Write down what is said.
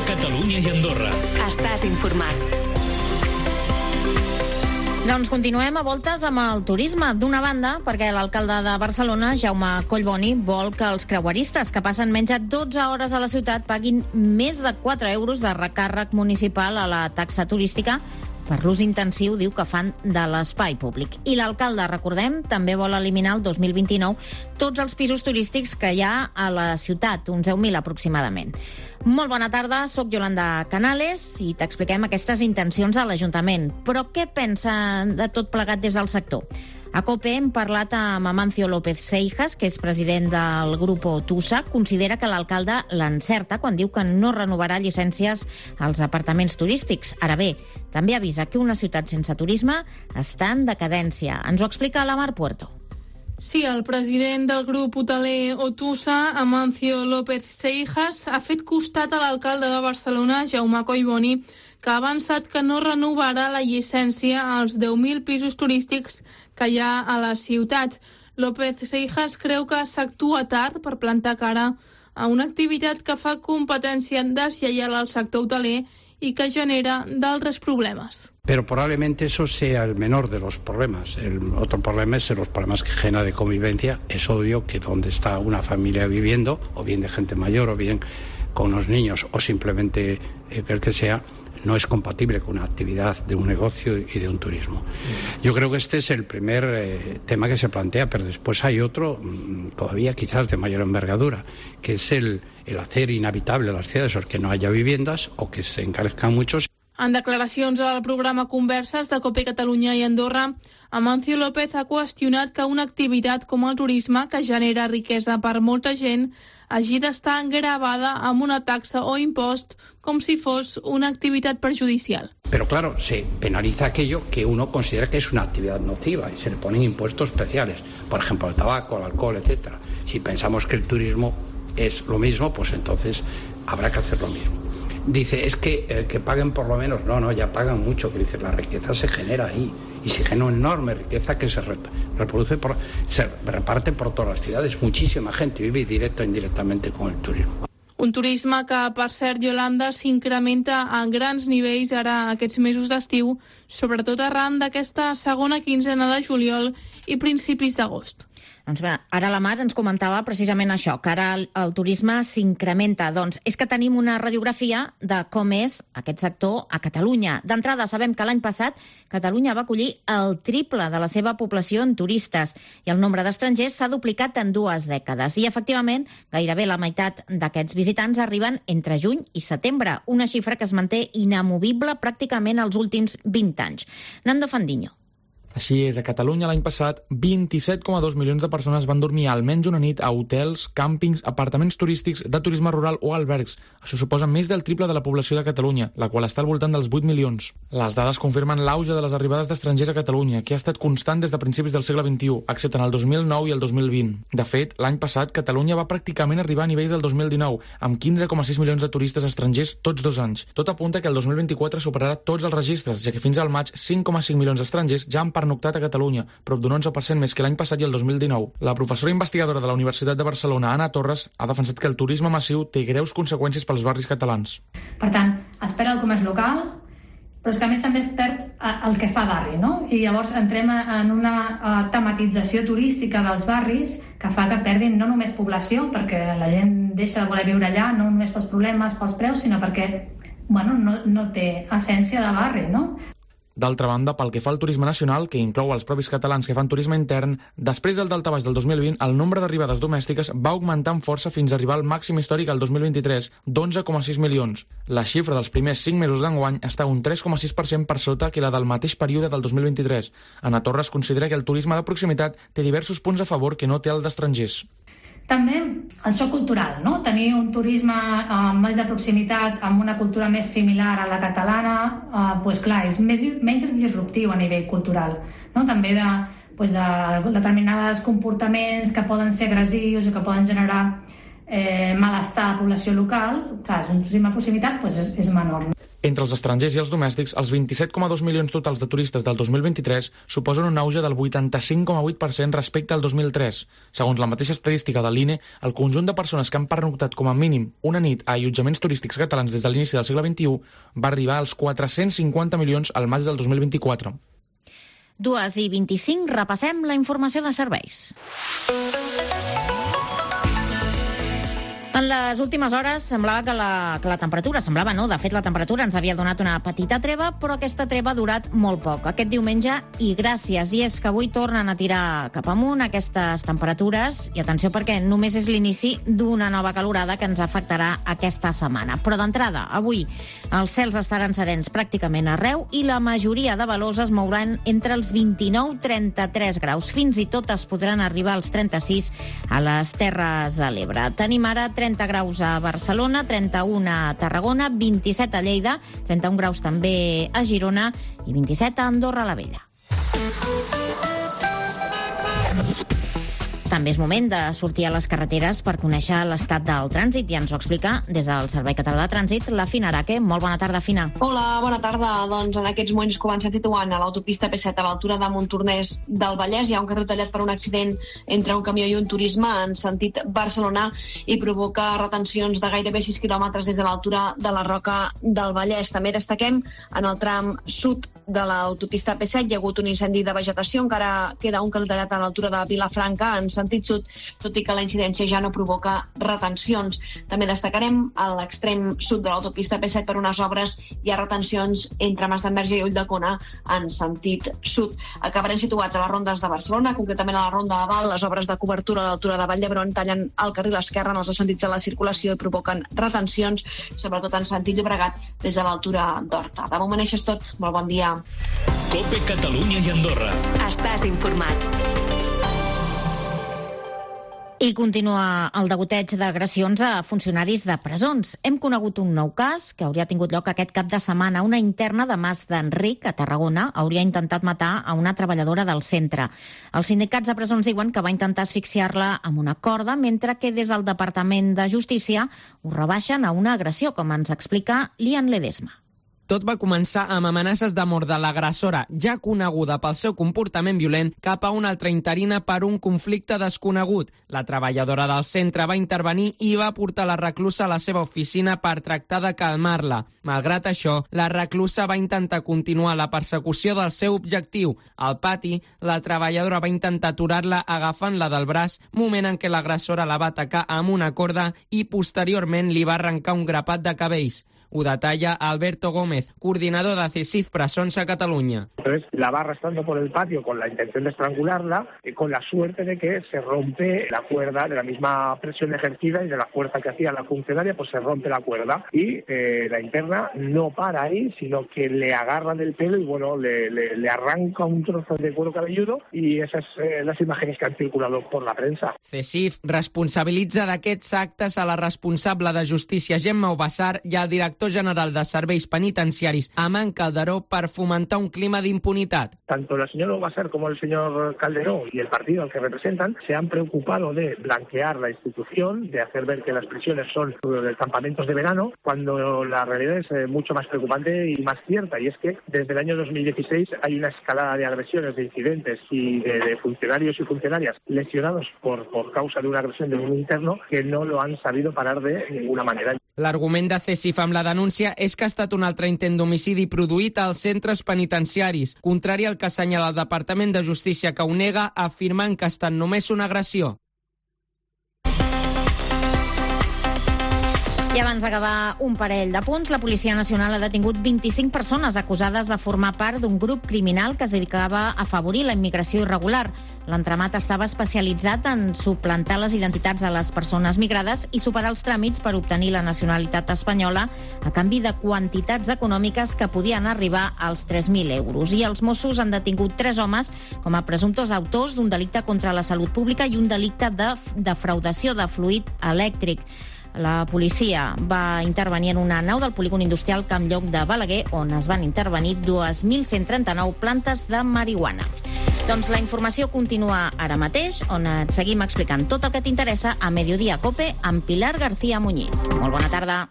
Catalunya i Andorra. Estàs informat. Doncs continuem a voltes amb el turisme. D'una banda, perquè l'alcalde de Barcelona, Jaume Collboni, vol que els creueristes que passen menys de 12 hores a la ciutat paguin més de 4 euros de recàrrec municipal a la taxa turística per l'ús intensiu, diu, que fan de l'espai públic. I l'alcalde, recordem, també vol eliminar el 2029 tots els pisos turístics que hi ha a la ciutat, uns 10.000 aproximadament. Molt bona tarda, sóc Yolanda Canales i t'expliquem aquestes intencions a l'Ajuntament. Però què pensa de tot plegat des del sector? A COPE hem parlat amb Amancio López Seijas, que és president del Grupo Tusa. Considera que l'alcalde l'encerta quan diu que no renovarà llicències als apartaments turístics. Ara bé, també avisa que una ciutat sense turisme està en decadència. Ens ho explica la Mar Puerto. Sí, el president del grup hoteler Otusa, Amancio López Seijas, ha fet costat a l'alcalde de Barcelona, Jaume Collboni, que ha avançat que no renovarà la llicència als 10.000 pisos turístics que hi ha a la ciutat. López Seijas creu que s'actua tard per plantar cara a una activitat que fa competència deslleial al sector hoteler y que genera d'altres problemas. Pero probablemente eso sea el menor de los problemas. El otro problema es los problemas que genera de convivencia. Es obvio que donde está una familia viviendo, o bien de gente mayor, o bien con unos niños, o simplemente el que sea, no es compatible con una actividad de un negocio y de un turismo. Yo creo que este es el primer tema que se plantea, pero después hay otro, todavía quizás de mayor envergadura, que es el hacer inhabitable las ciudades, o que no haya viviendas o que se encarezcan muchos. En declaracions al programa Converses de COPE Catalunya i Andorra, Amancio López ha qüestionat que una activitat com el turisme, que genera riquesa per molta gent, hagi d'estar gravada amb una taxa o impost com si fos una activitat perjudicial. Pero claro, se penaliza aquello que uno considera que es una actividad nociva y se le ponen impuestos especiales, por ejemplo el tabaco, el alcohol, etcétera. Si pensamos que el turismo es lo mismo, pues entonces habrá que hacer lo mismo. Dice, es que paguen por lo menos. No, ya pagan mucho. Que dice, la riqueza se genera ahí. Y se genera una enorme riqueza que se reparte por todas las ciudades. Muchísima gente vive directa o indirectamente con el turismo. Un turisme que, per cert, Yolanda, s'incrementa a grans nivells ara aquests mesos d'estiu, sobretot arran d'aquesta segona quinzena de juliol i principis d'agost. Doncs bé, ara la Mar ens comentava precisament això, que ara el turisme s'incrementa. Doncs és que tenim una radiografia de com és aquest sector a Catalunya. D'entrada, sabem que l'any passat Catalunya va acollir el triple de la seva població en turistes i el nombre d'estrangers s'ha duplicat en 2 dècades. I, efectivament, gairebé la meitat d'aquests visitants arriben entre juny i setembre, una xifra que es manté inamovible pràcticament els últims 20 anys. Nando Fandiño. Així és, a Catalunya l'any passat 27,2 milions de persones van dormir almenys una nit a hotels, càmpings, apartaments turístics, de turisme rural o albergs. Això suposa més del triple de la població de Catalunya, la qual està al voltant dels 8 milions. Les dades confirmen l'auge de les arribades d'estrangers a Catalunya, que ha estat constant des de principis del segle XXI, excepte en el 2009 i el 2020. De fet, l'any passat Catalunya va pràcticament arribar a nivells del 2019, amb 15,6 milions de turistes estrangers tots 2 anys. Tot apunta que el 2024 superarà tots els registres, ja que fins al maig 5,5 milions d'estrangers ja han pernoctat a Catalunya, prop d'un 11% més que l'any passat i el 2019. La professora investigadora de la Universitat de Barcelona, Anna Torres, ha defensat que el turisme massiu té greus conseqüències pels barris catalans. Per tant, es perd el comerç local, però és que a més també es perd el que fa barri, no? I llavors entrem en una tematització turística dels barris que fa que perdin no només població, perquè la gent deixa de voler viure allà, no només pels problemes, pels preus, sinó perquè no té essència de barri, no? D'altra banda, pel que fa al turisme nacional, que inclou els propis catalans que fan turisme intern, després del daltabaix del 2020, el nombre d'arribades domèstiques va augmentar amb força fins a arribar al màxim històric al 2023, d'11,6 milions. La xifra dels primers 5 mesos d'enguany està un 3,6% per sota que la del mateix període del 2023. Anna Torres considera que el turisme de proximitat té diversos punts a favor que no té el d'estrangers. També el xoc cultural, no? Tenir un turisme més de proximitat amb una cultura més similar a la catalana, doncs clar, és menys disruptiu a nivell cultural, no? També de determinats comportaments que poden ser agressius o que poden generar malestar a la població local. Clar, un turisme de proximitat és menor. Entre els estrangers i els domèstics, els 27,2 milions totals de turistes del 2023 suposen un auge del 85,8% respecte al 2003. Segons la mateixa estadística de l'INE, el conjunt de persones que han pernoctat com a mínim una nit a allotjaments turístics catalans des de l'inici del segle XXI va arribar als 450 milions al maig del 2024. 2:25, repassem la informació de serveis. En les últimes hores semblava que la temperatura, de fet la temperatura ens havia donat una petita treva, però aquesta treva ha durat molt poc. Aquest diumenge, i gràcies, i és que avui tornen a tirar cap amunt aquestes temperatures, i atenció perquè només és l'inici d'una nova calorada que ens afectarà aquesta setmana. Però d'entrada, avui els cels estaran serens pràcticament arreu i la majoria de valors es mouran entre els 29 i 33 graus. Fins i tot es podran arribar als 36 a les Terres de l'Ebre. Tenim ara 30 graus a Barcelona, 31 a Tarragona, 27 a Lleida, 31 graus també a Girona i 27 a Andorra la Vella. També és moment de sortir a les carreteres per conèixer l'estat del trànsit i ens ho explica des del Servei Català de Trànsit la Fina Araque. Molt bona tarda, Fina. Hola, bona tarda. Doncs en aquests moments comença situant a l'autopista P7 a l'altura de Montornès del Vallès. Hi ha un carril tallat per un accident entre un camió i un turisme en sentit Barcelona i provoca retencions de gairebé 6 quilòmetres des de l'altura de la Roca del Vallès. També destaquem en el tram sud de l'autopista P7 hi ha hagut un incendi de vegetació. Encara queda un carril tallat a l'altura de Vilafranca en sentit sud, tot i que la incidència ja no provoca retencions. També destacarem a l'extrem sud de l'autopista P7 per unes obres hi ha retencions entre Masdenverge i Ulldecona en sentit sud. Acabarem situats a les rondes de Barcelona, concretament a la ronda de Dalt. Les obres de cobertura a l'altura de Vall d'Hebron tallen el carril esquerre en els dos sentits de la circulació i provoquen retencions, sobretot en sentit Llobregat des de l'altura d'Horta. De moment això és tot. Molt bon dia. COPE Catalunya i Andorra. Estàs informat. I continua el degoteig d'agressions a funcionaris de presons. Hem conegut un nou cas que hauria tingut lloc aquest cap de setmana. Una interna de Mas d'Enric, a Tarragona, hauria intentat matar a una treballadora del centre. Els sindicats de presons diuen que va intentar asfixiar-la amb una corda, mentre que des del Departament de Justícia ho rebaixen a una agressió, com ens explica Lian Ledesma. Tot va començar amb amenaces de mort de l'agressora, ja coneguda pel seu comportament violent, cap a una altra interina per un conflicte desconegut. La treballadora del centre va intervenir i va portar la reclusa a la seva oficina per tractar de calmar-la. Malgrat això, la reclusa va intentar continuar la persecució del seu objectiu. Al pati, la treballadora va intentar aturar-la agafant-la del braç, moment en què l'agressora la va atacar amb una corda i posteriorment li va arrencar un grapat de cabells. Ho detalla Alberto Gómez, coordinador de CESIF Presons a Catalunya. Entonces la va arrastrando por el patio con la intención de estrangularla, con la suerte de que se rompe la cuerda de la misma presión ejercida y de la fuerza que hacía la funcionaria, pues se rompe la cuerda. Y la interna no para ahí, sino que le agarra del pelo y bueno, le arranca un trozo de cuero cabelludo y esas las imágenes que han circulado por la prensa. CESIF responsabilitza d'aquests actes a la responsable de Justícia Gemma Obassar i al director general de Serveis Penitenciaris, Aman Calderó, per fomentar un clima d'impunidad. Tanto la señora Obassar como el señor Calderó y el partido al que representan se han preocupado de blanquear la institución, de hacer ver que las prisiones son campamentos de verano, cuando la realidad es mucho más preocupante y más cierta, y es que desde el año 2016 hay una escalada de agresiones, de incidentes y de funcionarios y funcionarias lesionados por causa de una agresión de un interno que no lo han sabido parar de ninguna manera. L'argument de CESIF amb la denúncia és que ha estat un altre intent d'homicidi produït als centres penitenciaris, contrari al que assenyala el Departament de Justícia, que ho nega, afirmant que ha estat només una agressió. I abans d'acabar un parell de punts, la Policia Nacional ha detingut 25 persones acusades de formar part d'un grup criminal que es dedicava a afavorir la immigració irregular. L'entramat estava especialitzat en suplantar les identitats de les persones migrades i superar els tràmits per obtenir la nacionalitat espanyola a canvi de quantitats econòmiques que podien arribar als 3.000 euros. I els Mossos han detingut 3 homes com a presumptes autors d'un delicte contra la salut pública i un delicte de defraudació de fluid elèctric. La policia va intervenir en una nau del polígon industrial Camp Lloc de Balaguer, on es van intervenir 2.139 plantes de marihuana. Doncs la informació continua ara mateix, on et seguim explicant tot el que t'interessa a Mediodía Cope amb Pilar García Muñiz. Molt bona tarda.